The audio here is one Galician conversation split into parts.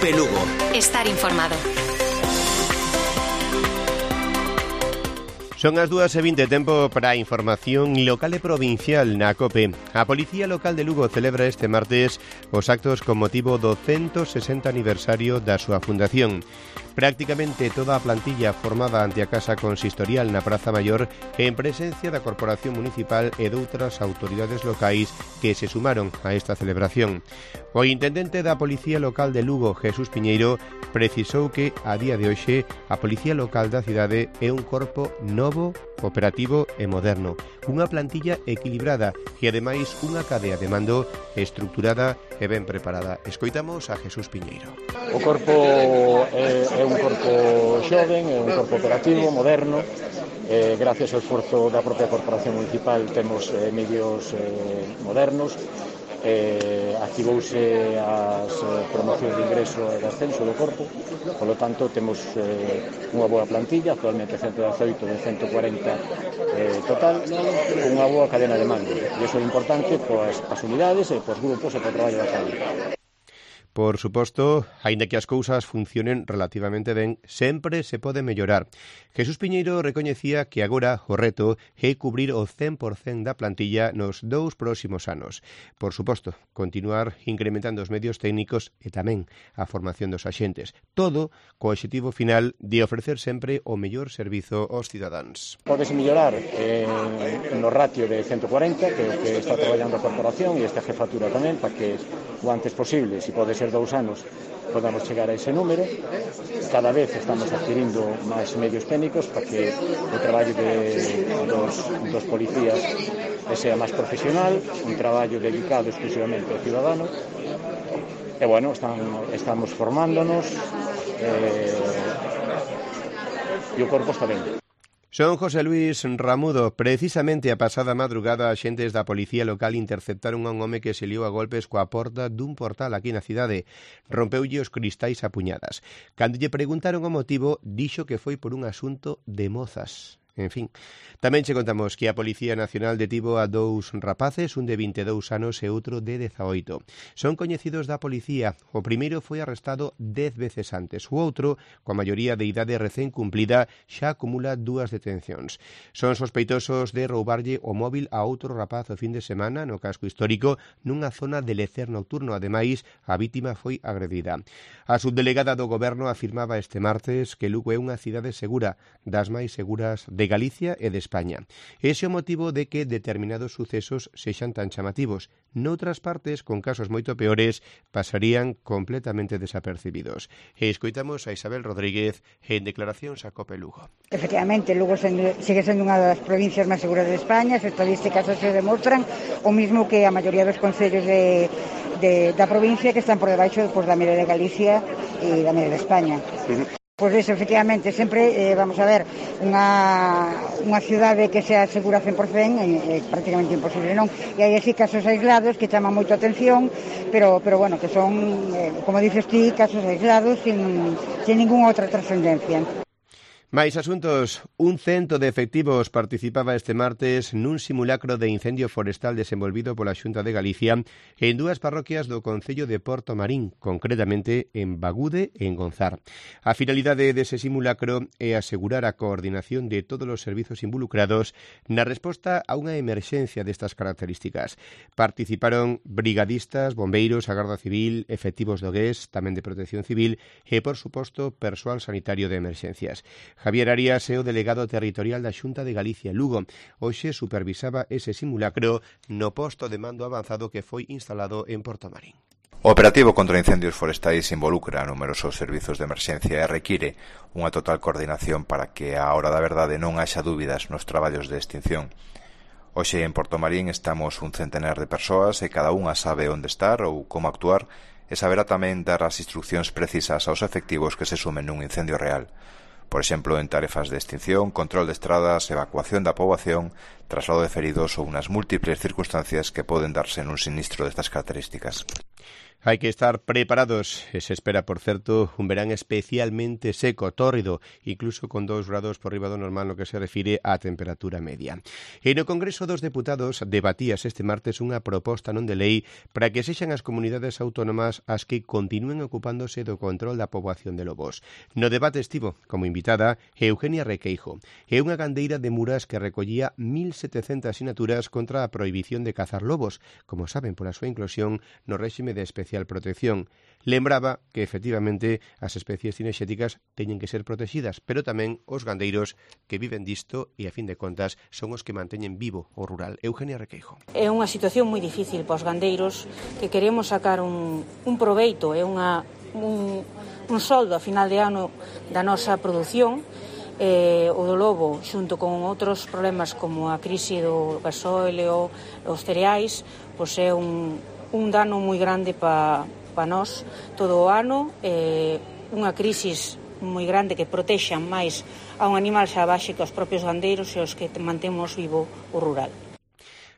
COPE Lugo. Estar informado. Son as 2:20, tempo para a información local e provincial na COPE. A Policía Local de Lugo celebra este martes os actos con motivo do 160 aniversario da súa fundación. Prácticamente toda a plantilla formada ante a Casa Consistorial na Praza Maior en presencia da Corporación Municipal e doutras autoridades locais que se sumaron a esta celebración. O intendente da Policía Local de Lugo, Jesús Piñeiro, precisou que a día de hoxe a Policía Local da cidade é un corpo novo, operativo e moderno, unha plantilla equilibrada e ademais unha cadea de mando estructurada e ben preparada. Escoitamos a Jesús Piñeiro. O corpo é un corpo xoven, é un corpo operativo, moderno. Gracias ao esforzo da propia Corporación Municipal temos medios modernos. Activouse as promocións de ingreso e de ascenso do corpo, polo tanto temos unha boa plantilla, actualmente 118 de 140 total, con unha boa cadena de mando, e iso é importante pois as unidades e pois grupos e para o traballo da calle. Por suposto, aínda que as cousas funcionen relativamente ben, sempre se pode mellorar. Jesús Piñeiro recoñecía que agora o reto é cubrir o 100% da plantilla nos 2 próximos anos. Por suposto, continuar incrementando os medios técnicos e tamén a formación dos axentes. Todo co obxectivo final de ofrecer sempre o mellor servizo aos cidadáns. Podes mellorar no ratio de 140, que é o que está traballando a Corporación e esta jefatura tamén, para que o antes posible, se pode ser 2 anos, podamos chegar a ese número. Cada vez estamos adquirindo máis medios técnicos para que o traballo dos policías sea máis profesional, un traballo dedicado exclusivamente ao cidadano. E bueno, estamos formándonos e o corpo está ben. Son José Luis Ramudo. Precisamente a pasada madrugada, axentes da Policía Local interceptaron a un home que se liou a golpes coa porta dun portal aquí na cidade. Rompeulle os cristais a puñadas. Cando lle preguntaron o motivo, dixo que foi por un asunto de mozas. En fin, tamén che contamos que a Policía Nacional detivo a 2 rapaces, un de 22 anos e outro de 18. Son coñecidos da policía. O primeiro foi arrestado 10 veces antes. O outro, coa maioría de idade recén cumplida, xa acumula 2 detencións. Son sospeitosos de roubarlle o móvil a outro rapaz o fin de semana no casco histórico nunha zona de lecer nocturno. Ademais, a vítima foi agredida. A subdelegada do Goberno afirmaba este martes que Lugo é unha cidade segura, das máis seguras de Galicia e de España. Ese é o motivo de que determinados sucesos sexan tan chamativos. Noutras partes, con casos moito peores, pasarían completamente desapercibidos. E escoitamos a Isabel Rodríguez en declaracións a COPE Lugo. Efectivamente, Lugo sigue sendo unha das provincias máis seguras de España. As estadísticas se demostran o mismo que a maioría dos concellos da provincia que están por debaixo da media de Galicia e da media de España. Pois iso, efectivamente, sempre, vamos a ver, unha cidade que sea segura 100% é prácticamente imposible, non? E hai así casos aislados que chaman moito a atención, pero bueno, que son, como dices ti, casos aislados sin ninguna outra trascendencia. Mais asuntos, un 100 de efectivos participaba este martes nun simulacro de incendio forestal desenvolvido pola Xunta de Galicia en 2 parroquias do concello de Porto Marín, concretamente en Bagude e en Gonzar. A finalidade dese simulacro é asegurar a coordinación de todos os servizos involucrados na resposta a unha emerxencia destas características. Participaron brigadistas, bombeiros, a Garda Civil, efectivos do GES, tamén de Protección Civil e, por suposto, persoal sanitario de emerxencias. Javier Arias é o delegado territorial da Xunta de Galicia Lugo. Hoxe supervisaba ese simulacro no posto de mando avanzado que foi instalado en Porto Marín. O operativo contra incendios forestais involucra numerosos servizos de emerxencia e require unha total coordinación para que á hora da verdade non haxa dúbidas nos traballos de extinción. Hoxe en Porto Marín estamos un centenar de persoas e cada unha sabe onde estar ou como actuar e saberá tamén dar as instruccións precisas aos efectivos que se sumen nun incendio real. Por exemplo, en tarefas de extinción, control de estradas, evacuación da poboación, traslado de feridos ou unas múltiples circunstancias que poden darse nun sinistro destas características. Hai que estar preparados. Se espera, por certo, un verán especialmente seco, tórrido, incluso con 2 grados por riba do normal no que se refire á temperatura media. E no Congreso dos Deputados debatíase este martes unha proposta non de lei para que sexan as comunidades autónomas as que continúen ocupándose do control da poboación de lobos. No debate estivo como invitada Eugenia Requeijo. É unha gandeira de Muras que recollía 1.700 sinaturas contra a prohibición de cazar lobos, como saben, pola súa inclusión no réxime de especial protección. Lembraba que, efectivamente, as especies cinexéticas teñen que ser protegidas, pero tamén os gandeiros que viven disto e, a fin de contas, son os que manteñen vivo o rural. Eugenia Requeijo. É unha situación moi difícil para os gandeiros que queremos sacar un proveito, é un soldo a final de ano da nosa produción. O do lobo, xunto con outros problemas como a crise do gasóleo, os cereais, pois é un dano moi grande para nós todo o ano, unha crisis moi grande que protexan máis a un animal salvaxe que os propios gandeiros e os que mantemos vivo o rural.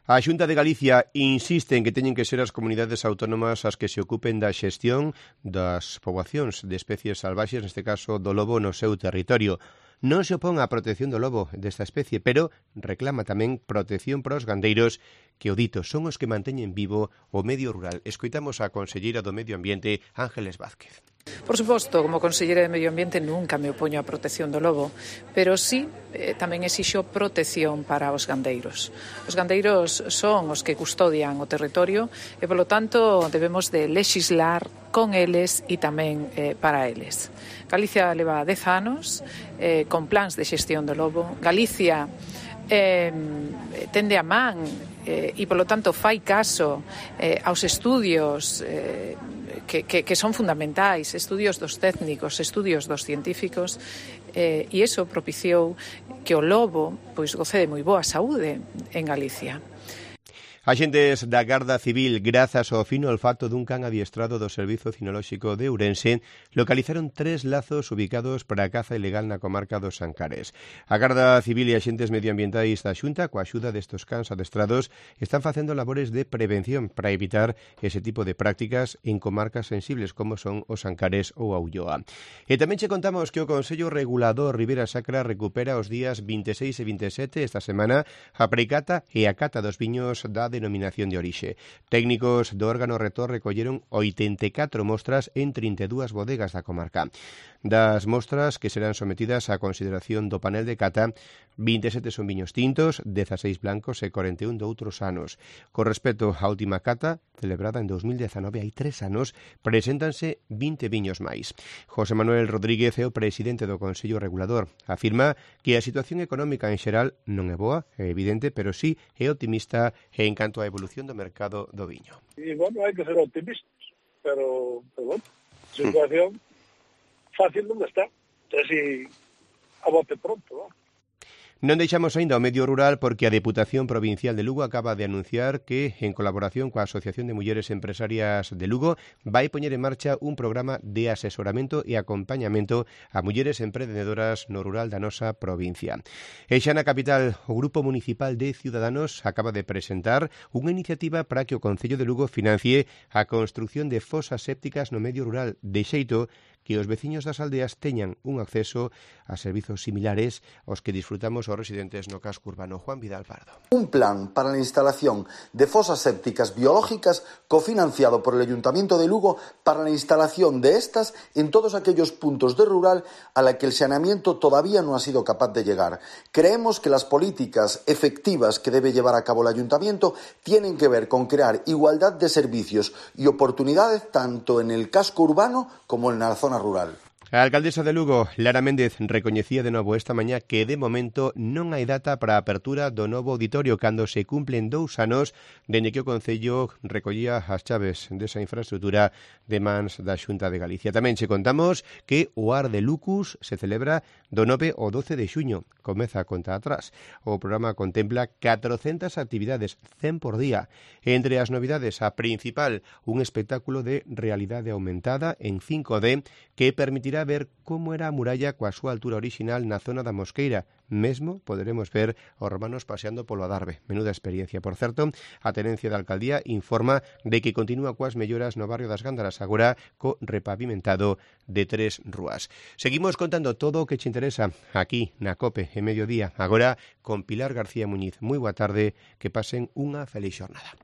A Xunta de Galicia insiste en que teñen que ser as comunidades autónomas as que se ocupen da xestión das poboacións de especies salvaxes, neste caso do lobo, no seu territorio. Non se opón á protección do lobo desta especie, pero reclama tamén protección para os gandeiros que, o dito, son os que manteñen vivo o medio rural. Escoitamos a conselleira do Medio Ambiente, Ángeles Vázquez. Por suposto, como conselleira de Medio Ambiente nunca me opoño á protección do lobo, pero sí tamén exixo protección para os gandeiros. Os gandeiros son os que custodian o territorio e, polo tanto, debemos de lexislar con eles e tamén para eles. Galicia leva 10 anos con plans de xestión do lobo. Galicia tende a man e, polo tanto, fai caso aos estudios que son fundamentais, estudios dos técnicos, estudios dos científicos, e iso propiciou que o lobo pois goce de moi boa saúde en Galicia. Axentes da Garda Civil, grazas ao fino olfato dun can adiestrado do Servizo Cinolóxico de Ourense, localizaron 3 lazos ubicados para a caza ilegal na comarca dos Ancares. A Garda Civil e axentes medioambientais da Xunta, coa axuda destos cans adestrados, están facendo labores de prevención para evitar ese tipo de prácticas en comarcas sensibles como son os Ancares ou a Ulloa. E tamén che contamos que o Consello Regulador Ribera Sacra recupera os días 26 e 27 esta semana a precata e a cata dos viños da denominación de orixe. Técnicos do órgano rector recolleron 84 mostras en 32 bodegas da comarca. Das mostras que serán sometidas á consideración do panel de cata, 27 son viños tintos, 16 blancos e 41 de outros anos. Con respecto á última cata, celebrada en 2019, hai 3 anos, preséntanse 20 viños máis. José Manuel Rodríguez é o presidente do Consello Regulador. Afirma que a situación económica en xeral non é boa, é evidente, pero sí é optimista en canto á evolución do mercado do viño. E, bueno, hai que ser optimistas, pero bueno, a situación fácil non está. Así, a bote pronto, ¿no? Non deixamos aínda o medio rural porque a Deputación Provincial de Lugo acaba de anunciar que, en colaboración coa Asociación de Mulleres Empresarias de Lugo, vai poñer en marcha un programa de asesoramento e acompañamento a mulleres emprendedoras no rural da nosa provincia. E xa na capital, o Grupo Municipal de Ciudadanos acaba de presentar unha iniciativa para que o Concello de Lugo financie a construción de fosas sépticas no medio rural, de xeito que os veciños das aldeas teñan un acceso a servizos similares aos que disfrutamos os residentes no casco urbano. Juan Vidal Pardo. Un plan para la instalación de fosas sépticas biológicas cofinanciado por el Ayuntamiento de Lugo para la instalación de estas en todos aquellos puntos de rural a la que el saneamiento todavía no ha sido capaz de llegar. Creemos que las políticas efectivas que debe llevar a cabo el Ayuntamiento tienen que ver con crear igualdad de servicios y oportunidades tanto en el casco urbano como en la zona rural. A alcaldesa de Lugo, Lara Méndez, recoñecía de novo esta mañá que de momento non hai data para a apertura do novo auditorio cando se cumplen 2 anos dende que o Concello recollía as chaves desa infraestructura de mans da Xunta de Galicia. Tamén che contamos que o Ar de Lucus se celebra do 9 ao 12 de xuño. Comeza a conta atrás. O programa contempla 400 actividades, 100 por día. Entre as novidades, a principal, un espectáculo de realidade aumentada en 5D que permitirá poderá ver como era a muralla coa súa altura orixinal na zona da Mosqueira. Mesmo poderemos ver os romanos paseando polo Adarve. Menuda experiencia. Por certo, a Tenencia da Alcaldía informa de que continúa coas melloras no barrio das Gándaras, agora co repavimentado de 3 rúas. Seguimos contando todo o que che interesa aquí na COPE en Mediodía. Agora con Pilar García Muñiz. Moi boa tarde, que pasen unha feliz xornada.